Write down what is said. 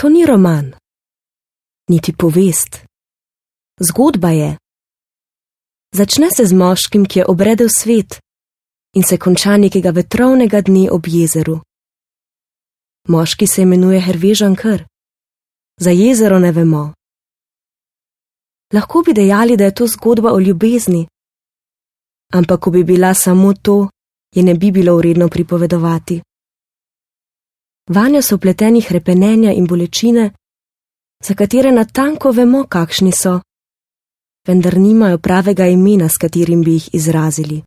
To ni roman, niti povest. Zgodba je. Začne se z moškim, ki je obredel svet in se konča nekega vetrovnega dne ob jezeru. Moški se imenuje Hervé Joncoeur. Za jezero ne vemo. Lahko bi dejali, da je to zgodba o ljubezni, ampak ko bi bila samo to, je ne bi bilo vredno pripovedovati. Vanjo so vpleteni hrepenenja in bolečine, za katere natanko vemo, kakšni so, vendar nimajo pravega imena, s katerim bi jih izrazili.